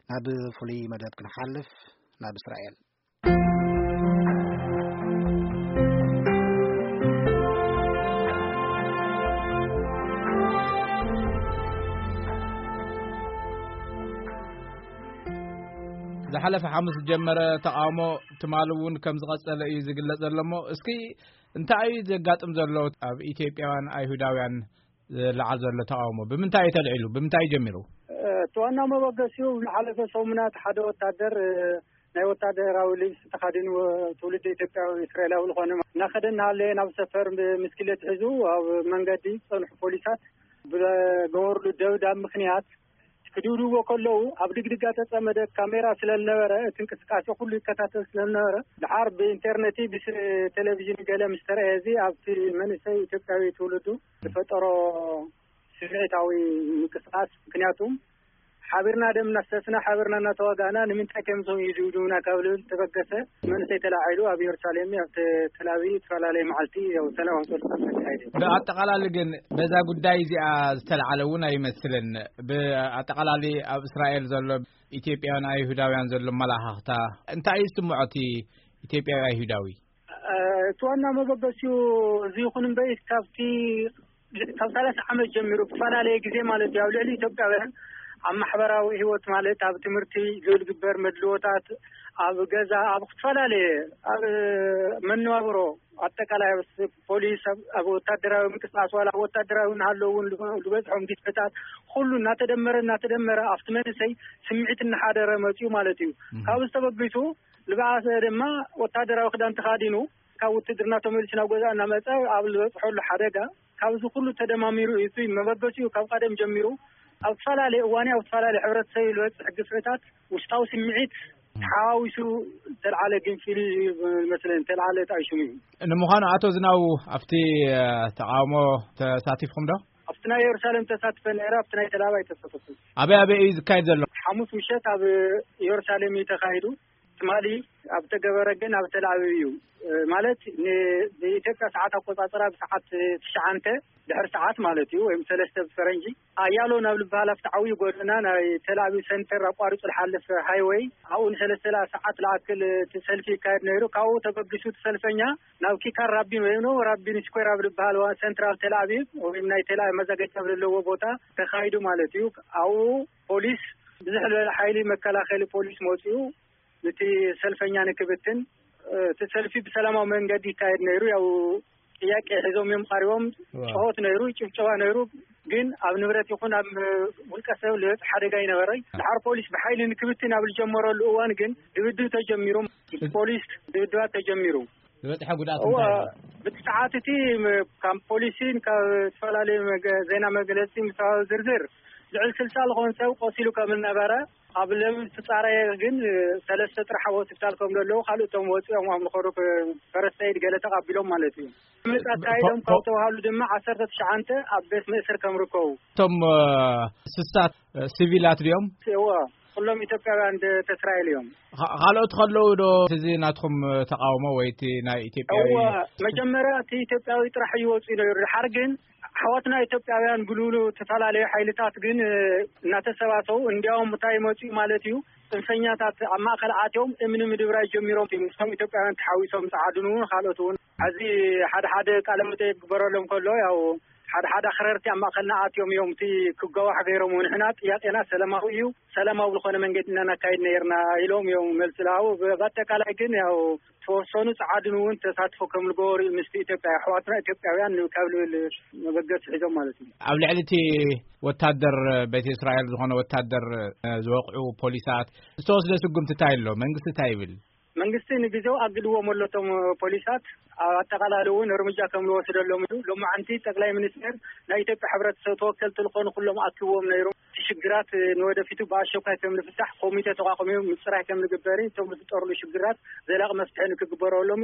ናብ ፍሉይ መደብ ክንሓልፍ፣ ናብ እስራኤል። ዝሓለፈ ሓሙስ ዝጀመረ ተቓውሞ ትማሊ እውን ከም ዝቐጸለ እዩ ዝግለጽ ዘሎ። እሞ እስኪ እንታይ እዩ ዘጋጥም ዘሎ? ኣብ ኢትዮጵያውያን ኣይሁዳውያን ዝለዓል ዘሎ ተቓውሞ ብምንታይ እዩ ተልዒሉ? ብምንታይ እዩ ጀሚሩ? እቲ ዋና መበገሲኡ ዝሓለፈ ሰሙናት ሓደ ወታደር፣ እ፣ ናይ ወታደራዊ ልብሲ ተኸዲኑ፣ እ፣ ትውልድ ኢትዮጵያዊ እስራኤላዊ ዝኾነ እናኸደ እናሃለየ ናብ ሰፈር ብ-፣ ብስክሌት ሒዙ ኣብ መንገዲ ዝጸንሑ ፖሊሳት ብገበርሉ ደብዳብ ምኽንያት ክድብድብዎ ከለዉ ኣብ ድግድጋ ተጸመደ ካሜራ ስለ ዝነበረ እቲ እንቅስቃሴ ኩሉ ይከታተል ስለ ዝነበረ ድሓር ብኢንተርኔት ብስ-፣ ቴሌቪዥን ገለ ምስ ተረኣየ እዚ ኣብቲ መንእሰይ ኢትዮጵያዊ ትውልዱ ዝፈጠሮ ስምዒታዊ ምንቅስቃስ፣ ምክንያቱ ሓቢርና ደም እናፍሰስና፣ ሓቢርና እናተዋጋእና ንምንታይ ከምዞም ይድብድቡና ካብ ልብል ተበገሰ መንእሰይ ተላዒሉ ኣብ ኢየሩሳሌም፣ ኣብ ተ-፣ ተላቢ ዝተፈላለየ መዓልቲ ያው ሰላማዊ ሰልፊ ተካይደ። ብኣጠቓላሊ ግን በዛ ጉዳይ እዚኣ ዝተላዓለ እውን ኣይመስልን። ብኣጠቓላሊ ኣብ እስራኤል ዘሎ ኢትዮጵያውያን ኣይሁዳውያን ዘሎ መላኻኽታ እንታይ እዩ ዝስምዖ እቲ ኢትዮጵያዊ ኣይሁዳዊ? እ፣ እቲ ዋና መበገሲኡ እዚ ይኹን እምበይ ካብቲ ካብ ሰላሳ ዓመት ጀሚሩ ብፈላለየ ግዜ ማለት እዩ ኣብ ልዕሊ ኢትዮጵያውያን ኣብ ማሕበራዊ ህይወት ማለት ኣብ ትምህርቲ ዝግበር መድልዎታት፣ ኣብ ገዛ፣ ኣብ ዝተፈላለየ፣ ኣብ መነባብሮ ኣጠቃላይ ኣብ ፖሊስ፣ ኣብ፣ ኣብ ወታደራዊ ምንቅስቃስ ዋላ ኣብ ወታደራዊ እናሃለዉ እውን ዝበ-፣ ዝበፅሖም ግፍዕታት ኩሉ እናተደመረ እናተደመረ ኣብቲ መንእሰይ ስምዒት እናሓደረ መፅኡ ማለት እዩ። እም። ካብዚ ተበጊሱ ዝበኣሰ ድማ ወታደራዊ ክዳን ተኻዲኑ ካብ ውትድርና ተመሊሱ ናብ ገዛ እናመፀ ኣብ ዝበፅሐሉ ሓደጋ ካብዚ ኩሉ ተደማሚሩ እዩ። እቲ መበገሲኡ ካብ ቀደም ጀሚሩ ኣብ ዝተፈላለየ እዋን ኣብ ዝተፈላለየ ሕብረተሰብ ዝበፅሕ ግፍዕታት ውሽጣዊ ስምዒት ተሓዋዊሱ ዝተልዓለ ግንፊል እዩ ዝመስለኒ፣ ዝተልዓለ ጣይሹም እዩ። ንምዃኑ ኣቶ ዝናቡ ኣብቲ፣ እ፣ ተቃውሞ ተሳቲፍኩም ዶ? ኣብቲ ናይ ኢየሩሳሌም ተሳትፈ ነይረ፣ ኣብቲ ናይ ተላባይ ተሳተፍኩ። ኣበይ ኣበይ እዩ ዝካየድ ዘሎ? ሓሙስ ምሸት ኣብ ኢየሩሳሌም እዩ ተኻሂዱ። ትማሊ ኣብ ተገበረ ግን ኣብ ተላቢብ እዩ። እ፣ ማለት ን-፣ ብኢትዮጵያ ሰዓት ኣቆጻጽራ ብሰዓት ትሽዓንተ ድሕሪ ሰዓት ማለት እዩ፣ ወይም ሰለስተ ብፈረንጂ፣ ኣያሎ ናብ ዝበሃል ኣብቲ ዓብዪ ጎደና ናይ ተላቢብ ሰንተር ኣቋሪጹ ዝሓልፍ ሃይወይ፣ ኣብኡ ንሰለስተ ሰዓት ዝኣክል እቲ ሰልፊ ይካየድ ነይሩ። ካብኡ ተበጊሱ እቲ ሰልፈኛ ናብ ኪካር ራቢን ወይም ነው ራቢን ስኩዌር ኣብ ዝበሃል ዋ-፣ ሰንትራል ተላቢብ ወይም ናይ ተላ መዘጋጃ ኣብ ዘለዎ ቦታ ተኻይዱ ማለት እዩ። ኣብኡ ፖሊስ፣ ብዙሕ ዝበለ ሓይሊ መከላኸሊ ፖሊስ መፂኡ፣ ነቲ ሰልፈኛ ንክብትን፣ እ፣ እቲ ሰልፊ ብሰላማዊ መንገዲ ይካየድ ነይሩ። ያው ጥያቄ ሒዞም እዮም ቀሪቦም። ዋው። ጭሆት ነይሩ፣ ጭብጨባ ነይሩ። ግን ኣብ ንብረት ይኹን ኣብ ውልቀ ሰብ ዝበፅሕ ሓደጋ ኣይነበረይ። ድሓር ፖሊስ ብሓይሊ ንክብትን ኣብ ዝጀመረሉ እዋን ግን ድብድብ ተጀሚሩ። ምስ ፖሊስ ድብድባት ተጀሚሩ። ዝበፅሐ ጉድኣት እዋ፣ እንታይ ኣሎ? ብቲ ሰዓት እቲ ም-፣ ካብ ፖሊስን ካብ ዝተፈላለዩ መገ-፣ ዜና መግለፂ ምስ ዝርዝር ልዕሊ ስልሳ ዝኾን ሰብ ቆሲሉ ከም ዝነበረ ኣብ ለሚ ዝተጻረየ ግን፣ እ፣ ሰለስተ ጥራሕ ኣብ ሆስፒታል ከም ዘለዉ፣ ካልእ እቶም ወጺኦም ኣብ ምኸዱ ክ-፣ ፈረስተ ኤድ ገለ ተቐቢሎም ማለት እዩ። ምርመራ ኣካይዶም ካብ ተባሃሉ ድማ ዓሰርተ ትሽዓተ ኣብ ቤት መእሰር ከም ርከቡ። እቶም፣ እ፣ ስሳት፣ እ፣ ሲቪላት ድዮም? እወ፣ ኩሎም ኢትዮጵያውያን ደ-፣ ተስራኤል እዮም። ኻ-፣ ካልኦት ከለዉ ዶ እዚ ናትኩም ተቃውሞ ወይ እቲ ናይ ኢትዮጵያዊ? እወ፣ መጀመርያ እቲ ኢትዮጵያዊ ጥራሕ እዩ ወጺኡ ነይሩ። ድሓር ግን ኣሕዋትና ኢትዮጵያውያን ብልብሉ ዝተፈላለዩ ሓይልታት ግን፣ እ፣ እናተሰባሰቡ፣ እንዲያውም እንታይ መፅኡ ማለት እዩ፣ ፅንፈኛታት ኣብ ማእከል ኣትዮም እምኒ ምድብራይ ጀሚሮም እዮም። ምስቶም ኢትዮጵያውያን ተሓዊሶም ፀዓዱን እውን ካልኦት እውን። ሕዚ ሓደ ሓደ ቃለ መጠይቅ ክግበረሎም ከሎ፣ ያው ሓደ ሓደ ኣኽረርቲ ኣብ ማእከልና ኣትዮም እዮም፣ እቲ ክጋዋሕ ገይሮም። ንሕና ጥያቄና ሰላማዊ እዩ፣ ሰላማዊ ዝኾነ መንገዲ ኢና ናካይድ ነይርና ኢሎም እዮም መልሲ ዝሃቡ። ብ-፣ ብኣጠቃላይ ግን ያው ተወሰኑ ጸዓዱን እውን ተሳትፎ ከም ዝገበሩ ምስቲ ኢትዮጵያ ኣሕዋትና ኢትዮጵያውያን ካብ ልብል መበገሲ ሒዞም ማለት እዩ። ኣብ ልዕሊ እቲ ወታደር ቤት እስራኤል ዝኾነ ወታደር፣ እ፣ ዝወቕዑ ፖሊሳት ዝተወስደ ስጉምቲ እንታይ ኣሎ? መንግስቲ እንታይ ይብል? መንግስቲ ንግዜው ኣግድዎም ኣሎ እቶም ፖሊሳት። ኣብ ኣጠቓላሊ እውን እርምጃ ከም ዝወስደሎም እዩ። ሎማዓንቲ ጠቅላይ ሚኒስትር ናይ ኢትዮጵያ ሕብረተሰብ ተወከልቲ ዝኾኑ ኩሎም ኣኪብዎም ነይሮም። እቲ ሽግራት ንወደፊቱ ብኣሸኳይ ከም ዝፍታሕ ኮሚቴ ተቋቁሙ ምፅራይ ከም ዝግበር፣ እቶም ዝፍጠርሉ ሽግራት ዘላቂ መፍትሒ ንክግበረሎም፣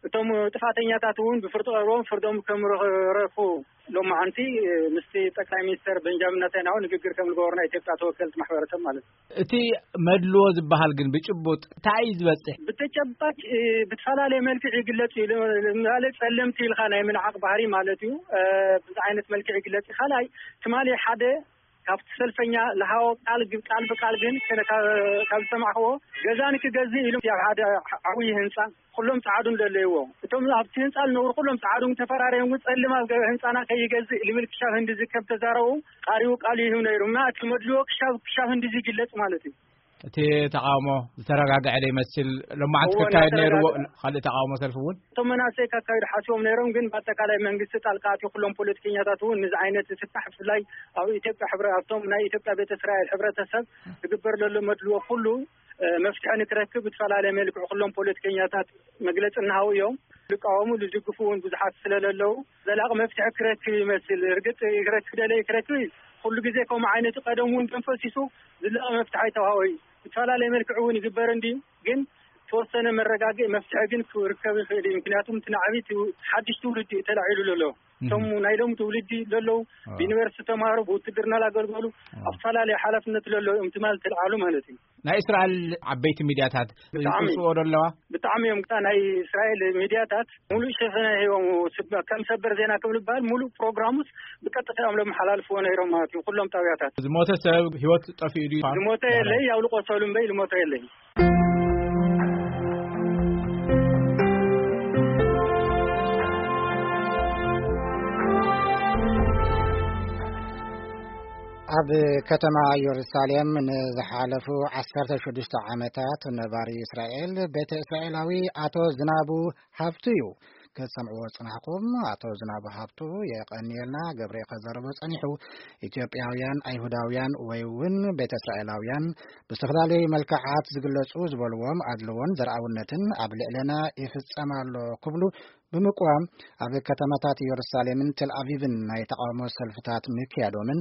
እቶም ጥፋተኛታት እውን ብፍርዲ ቀርቦም ፍርዶም ከም ረኽቡ ሎማዓንቲ ምስቲ ጠቅላይ ሚኒስትር ቤንጃሚን ናታንያሁ ንግግር ከም ዝገበሩ ናይ ኢትዮጵያ ተወከልቲ ማሕበረሰብ ማለት እዩ። እቲ መድልዎ ዝበሃል ግን ብጭቡጥ እንታይ እዩ ዝበፅሕ? ብተጨባጭ፣ እ፣ ብተፈላለየ መልክዕ ይግለጽ እዩ። ለ-፣ ማለት ጸለምቲ ኢልካ ናይ ምንዓቕ ባህሪ ማለት እዩ። እ፣ ብዚ ዓይነት መልክዕ ይግለጽ እዩ። ካልኣይ ትማሊ ሓደ ካብቲ ሰልፈኛ ለሃዎ ቃል ግ-፣ ቃል ብቃል ግን ከነ-፣ ካብ፣ ካብ ዝሰማዕክዎ፣ ገዛ ንክገዝእ ኢሉ ኣብ ሓደ ዓብዪ ህንፃ ኩሎም ፃዓዱ እንደለይዎ፣ እቶም ኣብቲ ህንፃ ዝነብሩ ኩሎም ፃዓዱ ተፈራሪዮም፣ ግን ፀልም ኣብ ገ-፣ ህንፃና ከይገዝእ ልብል ክሻብ ህንድዚ ከም ተዛረቡ ቃሪቡ ቃል ይህብ ነይሩ እና እቲ መድልዎ ክሻብ፣ ክሻብ ህንድዚ ይግለጽ ማለት እዩ። እቲ ተቃውሞ ዝተረጋግዐ ዶ ይመስል? ሎማዓንቲ እዎ፣ ክካየድ ነይርዎ እናተረጋግዐ። ካልእ ተቃውሞ ሰልፊ እውን? እቶም መናእሰይ ካካይዱ ሓሲቦም ነይሮም፣ ግን ብኣጠቃላይ መንግስቲ ጣልቃ ኣትዩ ኩሎም ፖለቲከኛታት እውን ንዚ ዓይነት ፍታሕ፣ ብፍላይ ኣብ ኢትዮጵያ ሕብረ-፣ ኣብቶም ናይ ኢትዮጵያ ቤተ እስራኤል ሕብረተሰብ ዝግበር ዘሎ መድልዎ ኩሉ፣ እ፣ መፍትሒ ንክረክብ ብዝፈላለየ መልክዑ ኩሎም ፖለቲከኛታት መግለጺ እናሃቡ እዮም። ዝቃወሙ፣ ዝድግፉ እውን ብዙሓት ስለለለዉ ዘላቂ መፍትሒ ክረክብ ይመስል። እርግጥ ክረክብ ደለይ ክረክብ ኩሉ ግዜ ከምኡ ዓይነት ቀደም እውን ደም ፈሲሱ ዝላቂ መፍትሒ ኣይተዋሃቦ እዩ። ብዝፈላለየ መልክዑ እውን ይግበር እንዲ፣ ግን ተወሰነ መረጋግኢ መፍትሒ ግን ክርከብ ይኽእል እዩ። ምክንያቱም እቲ ናዕቢ እቲ ሓድሽ ትውልዲ እዩ ተላዒሉ ዘሎ። እቶም ናይ ሎም ትውልዲ ዘለዉ፣ ብዩኒቨርሲቲ ተማሃሩ፣ ብውትድርና ላገልገሉ፣ ኣብ ዝተፈላለየ ሓላፍነት ዘለዉ እዮም ትማል ተልዓሉ ማለት እዩ። ናይ እስራኤል ዓበይቲ ሚድያታት ብጣዕሚ ይጽውኦ ዶ ኣለዋ? ብጣዕሚ እዮም። ናይ እስራኤል ሚድያታት ሙሉእ ሸፈነ ሂቦም፣ ስብ-፣ ከም ሰበር ዜና ከም ዝበሃል ሙሉእ ፕሮግራሙስ ብቀጥታ እዮም ለመሓላልፍዎ ነይሮም ማለት እዩ። ኩሎም ጣብያታት። ዝሞተ ሰብ፣ ህይወት ጠፊኡ ድዩ? ዝሞተ የለይ፣ ያው ልቆሰሉ እምበይ ዝሞተ የለይ። ኣብ ከተማ ኢየሩሳሌም ንዝሓለፉ ዓሰርተ ሽዱሽተ ዓመታት ነባሪ እስራኤል፣ ቤተ እስራኤላዊ ኣቶ ዝናቡ ሃብቱ እዩ። ክትሰምዕዎ ዝጸናሕኩም ኣቶ ዝናቡ ሃብቱ፣ የቐንየልና፣ ገብሬ ከዘረቦ ጸኒሑ። ኢትዮጵያውያን፣ ኣይሁዳውያን ወይ እውን ቤተ እስራኤላውያን ብዝተፈላለዩ መልክዓት ዝግለጹ ዝበልዎም ኣድልዎን ዘርኣውነትን ኣብ ልዕለና ይፍጸም ኣሎ ክብሉ ብምቅዋም ኣብ ከተማታት ኢየሩሳሌምን ቴል ኣቪቭን ናይ ተቃውሞ ሰልፍታት ምክያዶምን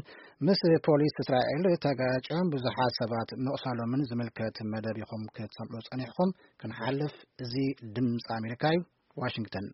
ምስ ፖሊስ እስራኤል ተጋጭዮም ብዙሓት ሰባት ምቕሳሎምን ዝምልከት መደብ ኢኹም ክትሰምዑ ጸኒሕኩም። ክንሓልፍ፣ እዚ ድምፂ ኣሜሪካ እዩ፣ ዋሽንግተን።